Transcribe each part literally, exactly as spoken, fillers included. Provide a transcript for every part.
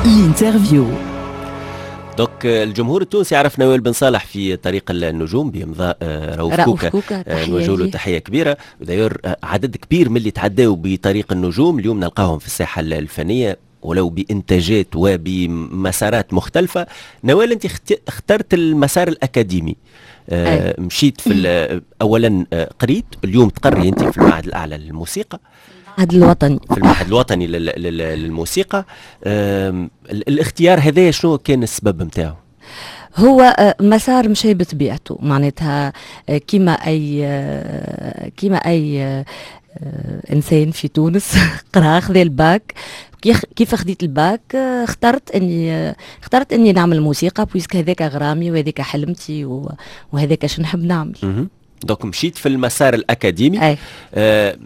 L'interview. donc الجمهور التونسي عرف نوال بن صالح في طريق النجوم بامضاء آه، رؤوف رؤوف كوكا. كوكا. آه، نوجه له تحية كبيره. d'ailleurs آه، عدد كبير من اللي تعداوا بطريق النجوم اليوم نلقاهم في الساحة الفنية ولو بانتاجات وبمسارات مختلفه. نوال، انت اخترت المسار الاكاديمي، آه مشيت في اولا قريت، اليوم تقري انت في المعهد الاعلى للموسيقى. المعهد الوطني. في المعهد الوطني للموسيقى. الاختيار هذا شنو كان السبب نتاعو؟ هو آه، مسار مشى بطبيعته، معناتها آه، كيما اي آه، كيما اي انسان في تونس قرا، خذا الباك. كيف خديت الباك اخترت اني اخترت اني نعمل موسيقى puisque هذاك غرامي وهذاك حلمتي وهذاك شنو نحب نعمل. donc مشيت في المسار الاكاديمي. أي. آه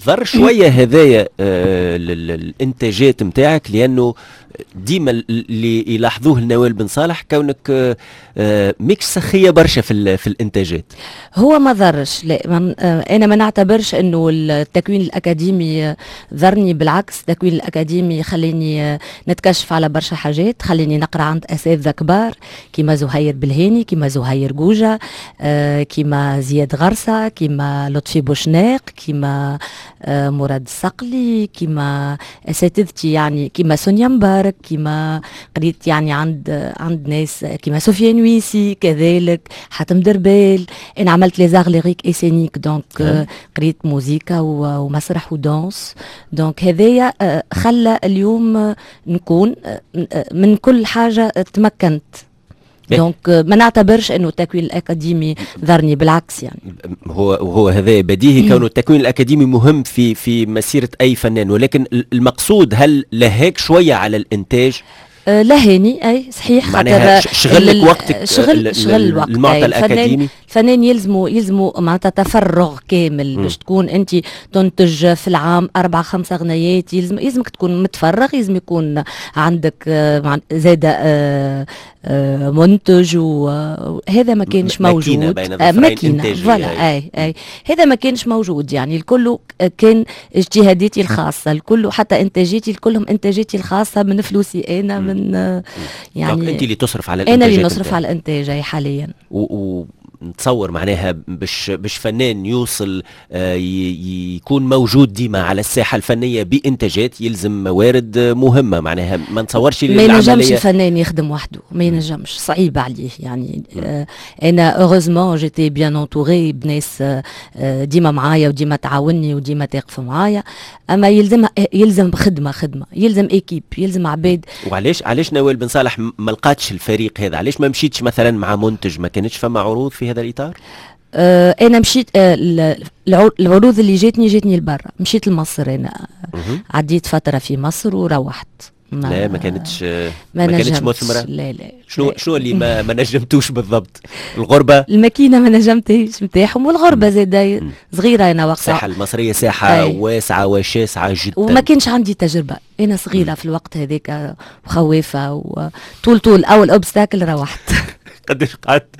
ضر شوية هذايا آه الانتاجات نتاعك؟ لانه ديما اللي يلاحظوه لنوال بن صالح كونك آه, آه، ماكش سخيه برشا في في الانتاجات. هو ما ضرش، لا. آه انا ما نعتبرش انه التكوين الاكاديمي ضرني، بالعكس، التكوين الاكاديمي خليني نتكشف على برشا حاجات، خليني نقرا عند اساتذة كبار كيما زهير بالهاني، كيما زهير جوجه، آه كيما زياد غرسه، كيما لطفي بوشناق، كيما آه مراد الصقلي، كيما اساتذتي يعني كيما سونيا مبارك، كيما قريت يعني عند عند ناس كيما سفيان ويسي، كذلك حاتم دربال. انا عملت les arts lyriques et scéniques، donc قريت موزيكا ومسرح و danse، donc هذايا آه، خلى اليوم نكون آه، من كل حاجة تمكنت، donc ما نعتبرش انه التكوين الاكاديمي ضرني، بالعكس يعني. هو وهو هذا بديهي كونه التكوين الاكاديمي مهم في في مسيره اي فنان، ولكن المقصود هل لهاك شوية على الانتاج؟ آه، لهاني، اي صحيح. معناها شغل لك وقتك. شغل شغل الوقت. المعطى الاكاديمي. الفنان يلزمو يلزمو معناتها تفرغ كامل باش تكون انت تنتج في العام اربع خمسة غنيات. يلزم يلزمك تكون متفرغ، يلزم يكون عندك آه، زادة آه، منتج، وهذا ما كانش موجود. ماكينة. ماكينة، voilà، اي اي هذا ما كانش موجود، يعني الكل كان اجتهاداتي الخاصة الكل، حتى انتاجاتي الكلهم انتاجاتي الخاصة من فلوسي انا، من يعني انت اللي تصرف على الانتاج؟ انا اللي نصرف على الانتاج حاليا. و, و نتصور معناها باش باش فنان يوصل آه، يكون موجود ديما على الساحة الفنية بانتاجات يلزم موارد مهمه، معناها ما نتصورش. ما ينجمش الفنان يخدم وحده، ما ينجمش، صعيب عليه يعني. آه انا heureusement j'étais bien entourée بناس آه ديما معايا وديما تعاوني وديما تقف معايا، اما يلزم يلزم خدمة خدمه، يلزم équipe، يلزم عباد. وعلاش علاش نوال بن صالح ما لقاتش الفريق هذا؟ علاش ما مشيتش مثلا مع منتج؟ ما كانتش فما عروض في هذا الاطار؟ آه انا مشيت، آه العروض اللي جاتني جاتني لبرا، مشيت لمصر، انا عديت فترة في مصر وروحت. ما لا، ما كانتش ما, ما كانتش مثمره؟ لا لا. شنو شنو اللي ما ما نجمتوش بالضبط؟ الغربه؟ الماكينة ما نجمتهاش نتاعهم، والغربة زاد، صغيرة انا وقتها. الساحة المصرية ساحة أي. واسعة وشاسعه جدا. وما كانش عندي تجربه، انا صغيرة في الوقت هذاك وخوافه، وطول طول اول obstacle روحت. قداش قعدت؟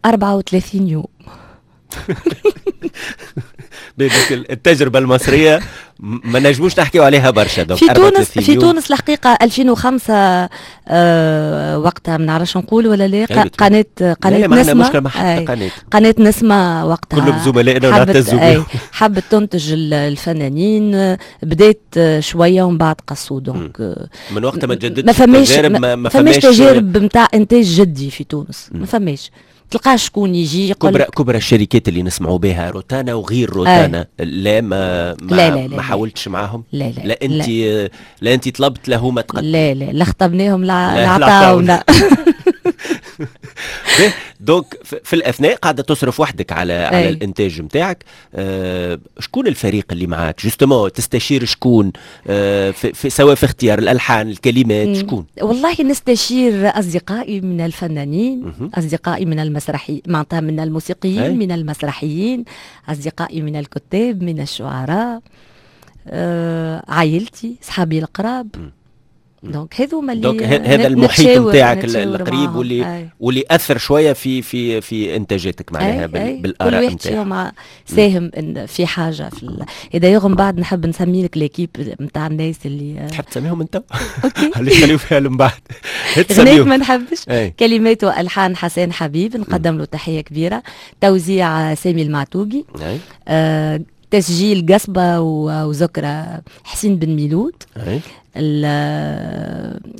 أربعة وثلاثين يوم. التجربة المصرية ما نجموش نحكيو عليها برشا. في تونس في تونس الحقيقة ألفين وخمسة آه وقتها ما نعرفش نقول ولا لا، قناه قناه لا، نسمه مشكلة مع حتى قناه. قناة نسمه وقتها. كلهم زملائنا ونعتزوا بهم. حبت تنتج الفنانين، بدات شوية ومن بعد قصوا، donc من وقتها ما تجددش. ما فماش تجارب، ما, ما فماش تجارب نتاع انتاج جدي في تونس، ما فماش، تلقاش شكون يجي يقول. كبرى كبرى الشركات اللي نسمعوا بها، روتانا وغير روتانا، لا ما ما لا لا لا، ما حاولتش معاهم؟ لا لا. لا انت لا, لا انت طلبت، لا هما تقدم؟ لا لا لا، خطبناهم لا عطاونا. donc في الاثناء قاعدة تصرف وحدك على أي. على الانتاج نتاعك. أه شكون الفريق اللي معاك justement؟ تستشير شكون أه في في سواء في اختيار الالحان، الكلمات، شكون؟ والله نستشير اصدقائي من الفنانين، اصدقائي من المسرحي، معناتها من الموسيقيين، أي. من المسرحيين، اصدقائي من الكتاب، من الشعراء، أه عائلتي، صحابي القراب. donc هذوما اللي donc هذا المحيط نتاعك القريب واللي أي. واللي اثر شوية في في في انتاجاتك معناها بالاراء نتاعك. كل واحد فيهم ساهم إن في حاجة في ال... d'ailleurs من بعد نحب نسمي لك l'équipe نتاع الناس اللي تحب تسميهم انت؟ OK، علاش خليهم فيها من بعد؟ غنيت ما نحبش. كلمات والحان حسين حبيب، نقدم له تحية كبيره. توزيع سامي المعتوقي. آه تسجيل قصبة وزكرة حسين بن ميلود.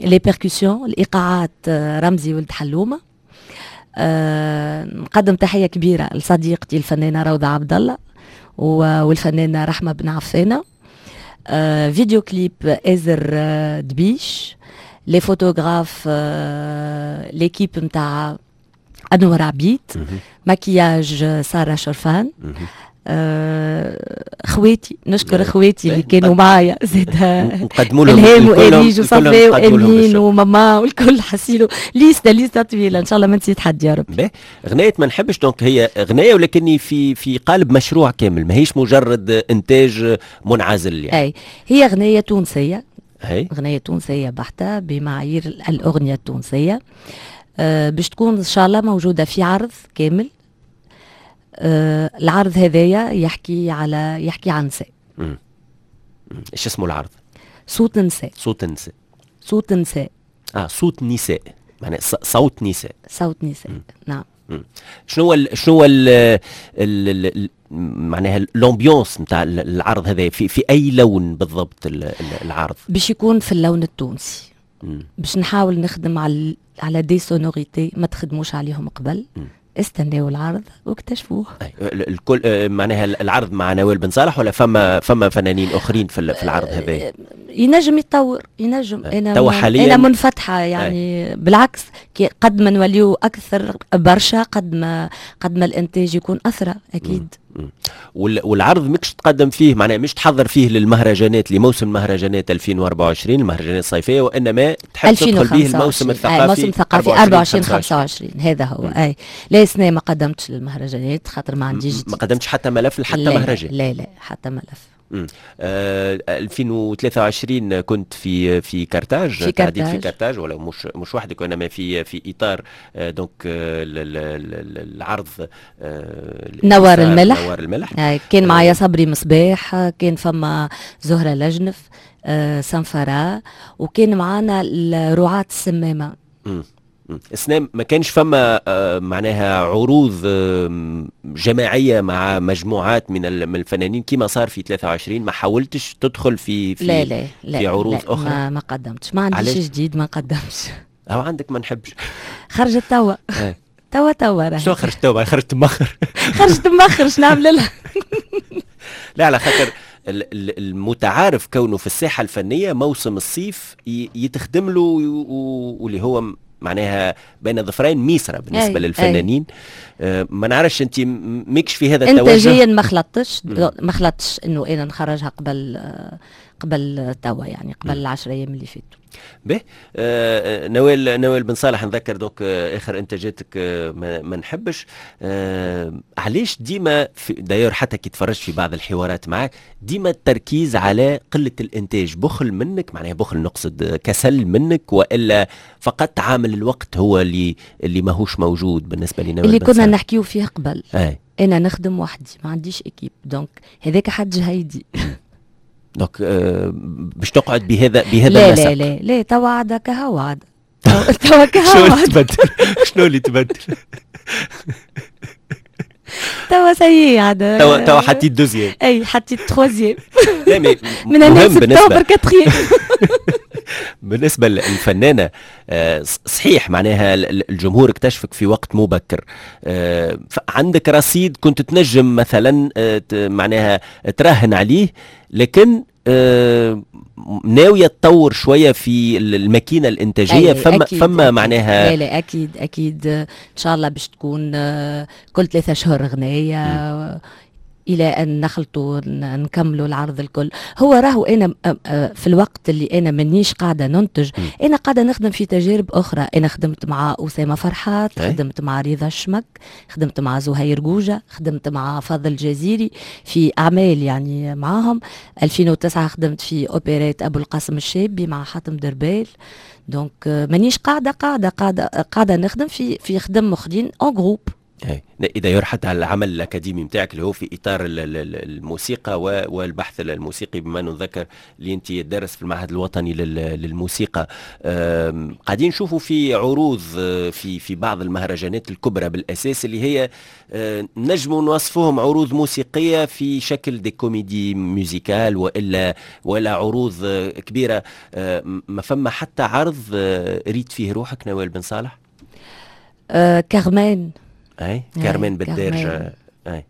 les percussions، الايقاعات، رمزي ولد حلومه. أه نقدم تحية كبيرة لصديقتي الفنانة روضة عبد الله والفنانه رحمه بن عفانه. أه vidéo clip ازر دبيش. les photographes أه l'équipe نتاع انور عبيد. مكياج ساره شرفان. آه، خواتي، نشكر خواتي اللي كانوا معايا زاد. نقدموا لهم. الهام واريج وصفاء وامين وماما والكل، حسيلو liste liste طويله، ان شاء الله ما نسيت حد يا رب. غناية ما نحبش donc هي غنايه ولكني في في قالب مشروع كامل، ماهيش مجرد انتاج منعزل يعني. اي، هي غنايه تونسيه، هي غنايه تونسية بحته بمعايير الاغنية التونسيه. أه باش تكون ان شاء الله موجودة في عرض كامل. آه العرض هذايا يحكي على يحكي عن نساء. ايش اسمه العرض؟ صوت نساء. صوت نساء. صوت نساء. اه، صوت نساء، معناها صوت نساء. صوت نساء، نعم. شنو هو شنو هو ال معناها l'ambiance نتاع العرض هذا؟ في في اي لون بالضبط العرض؟ باش يكون في اللون التونسي. باش نحاول نخدم على على des sonorités ما تخدموش عليهم قبل. استناو العرض واكتشفوه. الكل آه، معناها العرض مع نوال بن صالح ولا فما فما فنانين اخرين في في العرض هذا؟ آه، ينجم يتطور، ينجم. انا توا حاليا انا منفتحة يعني. أي. بالعكس، قد ما نوليو اكثر برشا قد ما قد ما الانتاج يكون اثرى اكيد. والعرض مش تقدم فيه، معناها مش تحضر فيه للمهرجانات، لموسم مهرجانات ألفين وأربعة وعشرين، المهرجانات الصيفيه، وانما تحب تدخل به الموسم الثقافي. الموسم الثقافي أربعة وعشرين خمسة وعشرين، هذا هو. م. اي، لا، سنة ما قدمتش للمهرجانات خاطر ما عنديش. ما قدمتش حتى ملف لحتى مهرجان؟ لا لا، حتى ملف. آه ألفين وثلاثة وعشرين كنت في في كارتاج. في كارتاج. في كارتاج ولا مش مش وحدك، وانما في في اطار آه donc آه العرض آه نوار الملح. نوار الملح. آه كان معايا صبري مصباح، كان فما زهره لجنف، آه سنفرة، وكان معانا رعاة السمامه. السنة ما كانش فما آه، معناها عروض جماعية مع مجموعات من من الفنانين كما صار في ثلاثة وعشرين؟ ما حاولتش تدخل في في لا لا لا. في عروض لا اخرى؟ ما, ما قدمتش، ما عنديش جديد، ما قدمتش. او عندك ما نحبش؟ خرجت توا إيه. توا توا. شنو خرجت توا؟ خرجت مخر. خرجت مخر، شنو نعمل لها؟ لا، على خاطر المتعارف كونه في الساحة الفنية موسم الصيف يتخدم له، واللي هو معناها بين ظفرين ميسرة بالنسبة أي للفنانين. أي. آه ما نعرفش انت ماكش في هذا التوجه؟ انتاجيا ما خلطتش، ما خلطتش انه انا نخرجها قبل قبل توا، يعني قبل العشر ايام اللي فاتوا. به، آه نوال نوال بن صالح، نذكر donc آه اخر انتاجاتك آه ما, ما نحبش. آه علاش ديما d'ailleurs حتى كي تفرجت في بعض الحوارات معك ديما التركيز على قلة الانتاج؟ بخل منك، معناها بخل نقصد كسل منك، والا فقط عامل الوقت هو اللي اللي ماهوش موجود بالنسبة لنوال؟ اللي كنا نحكيو فيه قبل. أي. انا نخدم وحدي، ما عنديش équipe، donc هذاك حد جهيدي. donc آه باش تقعد بهذا بهذا لا النسق؟ لا لا لا، توا عاد كهو عاد، توا كهو. شنو اللي تبدل؟ شنو اللي تبدل؟ توا ça y est عاد. توا توا حطيت deuxième. اي، حطيت troisième. لا mais من هنا سبتمبر quatrième. بالنسبة للفنانة آه، صحيح معناها الجمهور اكتشفك في وقت مبكر، آه، عندك رصيد كنت تنجم مثلا آه، معناها تراهن عليه، لكن ناوية تطور شوية في الماكينة الانتاجيه؟ فما أكيد فما أكيد. معناها لا لا، اكيد اكيد، ان شاء الله باش تكون كل ثلاثة شهور غنايه. الى ان نخلطوا نكملوا العرض الكل. هو راهو انا في الوقت اللي انا مانيش قاعدة ننتج، انا قاعدة نخدم في تجارب اخرى. انا خدمت مع اسامة فرحات، خدمت مع رضا الشمك، خدمت مع زهير جوجه، خدمت مع فضل الجزيري في اعمال يعني معاهم. ألفين وتسعة خدمت في اوبريت ابو القاسم الشابي مع حاتم دربال. donc مانيش قاعدة قاعدة قاعدة قاعدة نخدم في في خدم اخرين en groupe. اي d'ailleurs حتى على العمل الاكاديمي نتاعك اللي هو في اطار الموسيقى والبحث الموسيقي، بما نذكر اللي انت تدرس في المعهد الوطني للموسيقى، قاعدين نشوفوا في عروض في في بعض المهرجانات الكبرى بالاساس اللي هي نجموا نوصفوهم عروض موسيقية في شكل des comédies musicales والا ولا عروض كبيرة. ما فما حتى عرض ريت فيه روحك نوال بن صالح؟ أه كارمان. اي كارمان بالدارجة. اي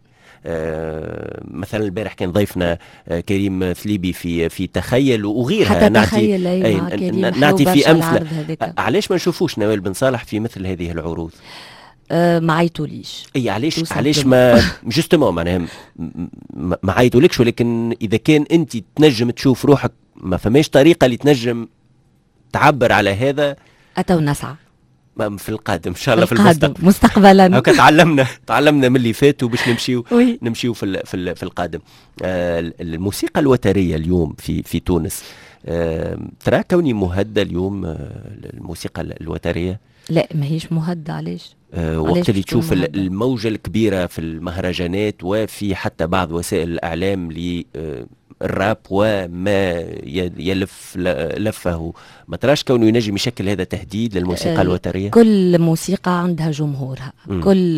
آه مثلا البارح كان ضيفنا آه كريم ثليبي في في تخيل وغيرها. حتى نعطي تخيل أي مع كريم نعطي في امثلة. علاش ما نشوفوش نوال بن صالح في مثل هذه العروض؟ أه ما عيطوليش. اي علاش علاش ما justement معناها ما عيطولكش، ولكن اذا كان انت تنجم تشوف روحك ما فماش طريقه اللي تنجم تعبر على هذا. اتو نسعى في القادم ان شاء الله، في المستقبل مستقبلا. هكا تعلمنا تعلمنا من اللي فات وباش نمشيو نمشيو في في في القادم. آه الموسيقى الوتريه اليوم في في تونس، آه ترى كوني مهددة اليوم آه الموسيقى الوتريه؟ لا ماهيش مهددة. علاش؟ آه وقت اللي تشوف الموجه الكبيرة في المهرجانات وفي حتى بعض وسائل الاعلام ل الراب وما يلف لفه، ما تراش كونه ينجم يشكل هذا تهديد للموسيقى الوتريه؟ كل موسيقى عندها جمهورها. مم. كل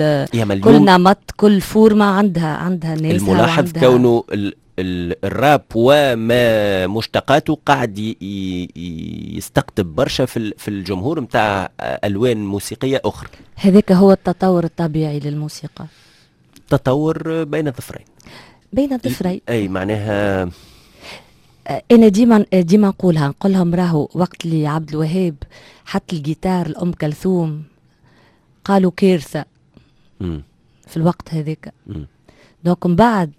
كل نمط، كل forme عندها عندها ناسها. الملاحظ وعندها كونه ال ال الراب وما مشتقاته قاعد يستقطب برشا في في الجمهور نتاع الوان موسيقية اخرى. هذاك هو التطور الطبيعي للموسيقى. تطور بين الظفرين. بين الظفرين. اي معناها انا ديما ديما نقولها، نقول لهم راهو وقت اللي عبد الوهاب حط الجيتار لام كلثوم قالوا كارثة في الوقت هذاك. donc من بعد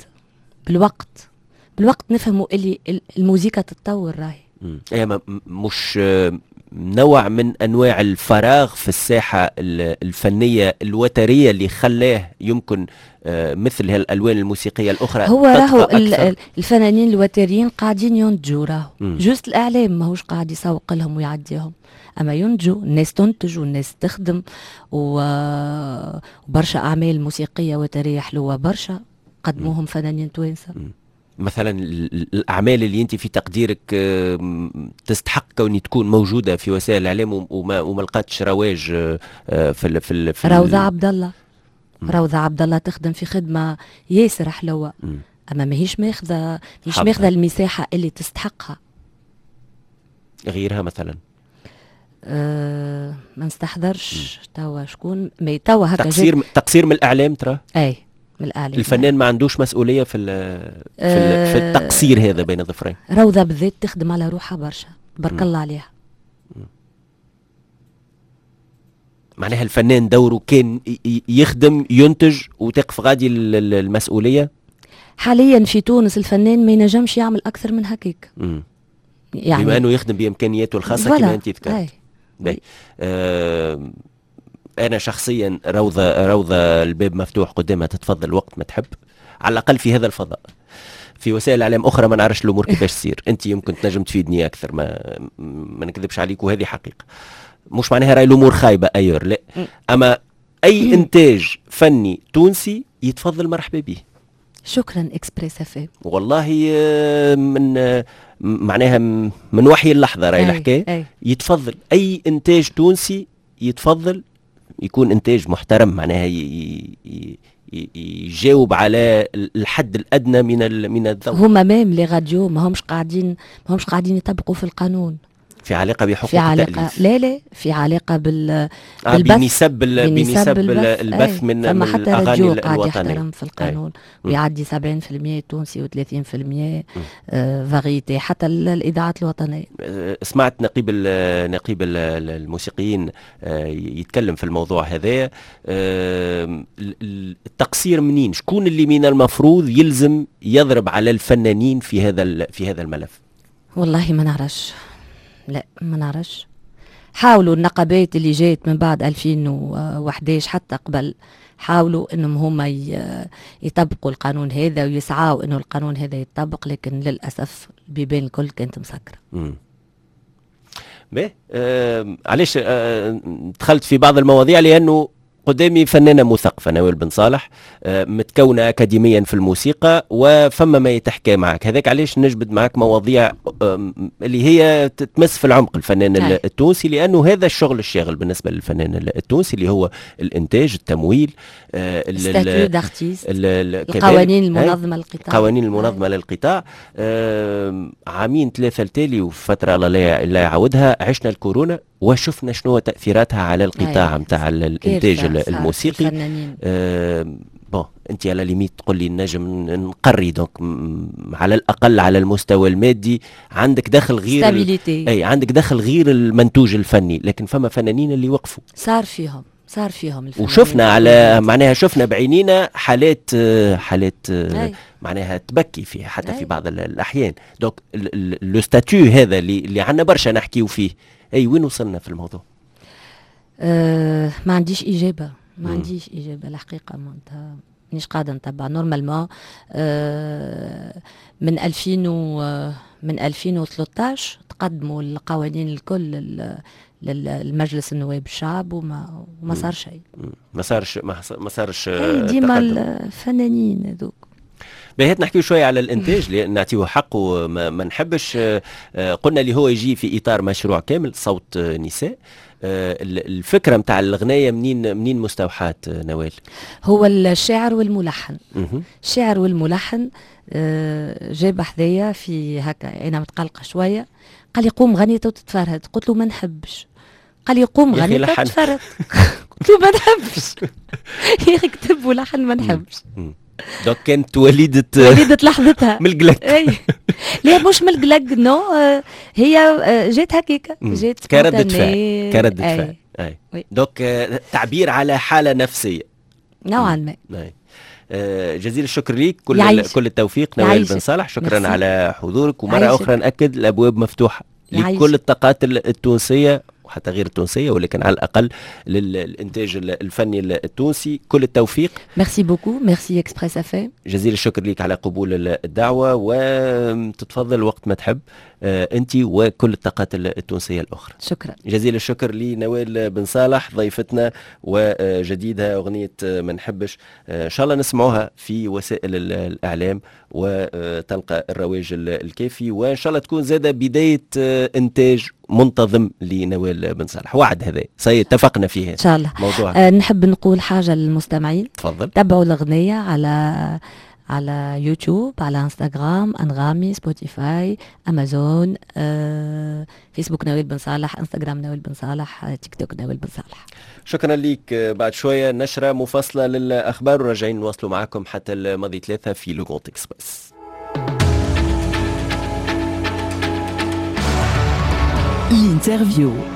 بالوقت بالوقت نفهموا اللي الموسيقى تتطور راهي. اي مش نوع من انواع الفراغ في الساحة الفنية الوتريه اللي خلاه يمكن مثل هالالوان الموسيقية الاخرى. هو راهو الفنانين الوتريين قاعدين ينتجوا راهو، juste الاعلام ماهوش قاعد يسوق لهم ويعديهم، اما ينتجوا، الناس تنتج والناس تخدم، وبرشا اعمال موسيقية وتريه حلوة برشا قدموهم فنانين توانسة. مثلا الاعمال اللي انت في تقديرك تستحق كوني تكون موجودة في وسائل الاعلام وما وما لقاتش رواج في ال في ال في روضة عبد الله. روضة عبد الله تخدم في خدمة ياسر حلوة، اما ماهيش ماخذه ماهيش ماخذه المساحة اللي تستحقها. غيرها مثلا؟ أه ما نستحضرش توا شكون، mais توا هكا تقصير تقصير من الاعلام ترى؟ اي من الإعلام. الفنان ما عندوش مسؤولية في في, أه في التقصير هذا بين الظفرين. روضة بالذات تخدم على روحها برشا، تبارك الله عليها. معناها الفنان دوره كان يخدم ينتج وتقف غادي المسؤولية. حاليا في تونس الفنان ما ينجمش يعمل أكثر من هكاك. يعني بما أنه يخدم بإمكانياته الخاصة كما أنت ذكرت. آه أنا شخصيا روضة روضة الباب مفتوح قدامها، تتفضل وقت ما تحب، على الأقل في هذا الفضاء. في وسائل إعلام أخرى ما نعرفش الأمور كيفاش تصير، أنت يمكن تنجم تفيدني أكثر، ما ما نكذبش عليك وهذه حقيقة. مش معناها راي الأمور خايبة أيور، لا، أما أي إنتاج فني تونسي يتفضل مرحبا به. شكرا اكسبريس اف ام. والله من معناها من وحي اللحظة راي الحكاية، يتفضل أي إنتاج تونسي يتفضل يكون انتاج محترم، معناها يجاوب على الحد الادنى من من الذوق. هما même les radios ما همش قاعدين ما همش قاعدين يطبقوا في القانون. في علاقة بحقوق في علاقة التأليف؟ لا لا، في علاقة بال آه بالبث، بنسب بنسب البث من فما من حتى الاغاني راديو قاعد الوطنية يحترم في القانون ويعدي سبعين بالمية تونسي وثلاثين بالمية variété، حتى الاذاعات الوطنية. سمعت نقيب ال نقيب ال الموسيقيين يتكلم في الموضوع هذا. التقصير منين؟ شكون اللي من المفروض يلزم يضرب على الفنانين في هذا في هذا الملف؟ والله ما نعرفش، لا ما نعرفش. حاولوا النقابات اللي جات من بعد ألفين وأحد عشر حتى قبل، حاولوا انهم هما يطبقوا القانون هذا ويسعوا انه القانون هذا يتطبق، لكن للاسف البيبان الكل كانت مسكره. امم باهي، آه علاش آه دخلت في بعض المواضيع؟ لانه قدامي فنانة مثقفة نوال بن صالح، متكونة أكاديميا في الموسيقى، وفما ما يتحكى معك. هذاك علاش نجبد معك مواضيع اللي هي تتمس في العمق الفنان أي. التونسي، لأنه هذا الشغل الشاغل بالنسبة للفنان التونسي اللي هو الإنتاج، التمويل، statut d'artiste، القوانين المنظمة للقطاع، القوانين المنظمة للقطاع. عامين ثلاثة التالي وفترة الله لا يعودها، عشنا الكورونا وشفنا شنو تأثيراتها على القطاع نتاع الإنتاج الموسيقي. آه bon انت à la limite تقول لي نجم نقري، donc على الاقل على المستوى المادي عندك دخل غير stabilité. اي عندك دخل غير المنتوج الفني، لكن فما فنانين اللي وقفوا، صار فيهم صار فيهم وشفنا على معناها شفنا بعينينا حالات حالات أي. معناها تبكي فيها حتى أي. في بعض الاحيان. donc le statut هذا اللي اللي عندنا برشا نحكيو فيه، اي وين وصلنا في الموضوع؟ أه ما عنديش اجابه، ما عنديش اجابه الحقيقة، معناتها مانيش قاعدة نتبع. normalement أه من ألفين و من ألفين وثلاثة عشر تقدموا القوانين الكل للمجلس النواب الشعب وما وما صار شيء. ما صارش، ما صارش. ديما الفنانين هذوك. باهي، نحكيو شوية على الانتاج لان نعطيه حقه، ما, ما نحبش. قلنا اللي هو يجي في اطار مشروع كامل صوت نساء. الفكرة نتاع الغنايه منين منين مستوحاة نوال؟ هو الشاعر والملحن. الشاعر والملحن جاب حذايا في هكا، انا متقلقه شوية، قال لي قوم غني وتتفرهد، قلت له ما نحبش. قال لي قوم غني وتتفرهد، قلت له ما نحبش. يا اخي كتب ولحن ما نحبش. donc كانت وليدة وليدة لحظتها من القلق. اي لا مش من القلق، non، هي جات هكاكا، جات كردة فعل، كردة فعل. اي donc تعبير على حالة نفسية نوعا ما. اي جزيل الشكر ليك، كل كل التوفيق نوال بن صالح، شكرا ميرسي. على حضورك، ومرة يعيشك. أخرى نأكد الأبواب مفتوحة لكل الطاقات التونسية وحتى غير التونسية، ولكن على الأقل للإنتاج الفني التونسي. كل التوفيق. merci beaucoup، merci Express FM. جزيل الشكر لك على قبول الدعوة، وتتفضل وقت ما تحب أنت وكل الطاقات التونسية الأخرى. شكرا. جزيل الشكر لنوال بن صالح ضيفتنا، وجديدها أغنية ما نحبش، إن شاء الله نسمعوها في وسائل الإعلام وتلقى الرواج الكافي، وإن شاء الله تكون زادة بداية إنتاج منتظم لنوال بن صالح. وعد هذا سي اتفقنا فيه ان شاء الله موضوع. أه نحب نقول حاجة للمستمعين. تفضل. تبعوا الاغنية على على يوتيوب، على انستغرام، انغامي، سبوتيفاي، امازون، أه، فيسبوك نوال بن صالح، انستغرام نوال بن صالح، تيك توك نوال بن صالح. شكرا لك. بعد شوية نشره مفصلة للاخبار وراجعين نواصلوا معكم حتى الماضي ثلاثة في Le Grand Express. L'interview.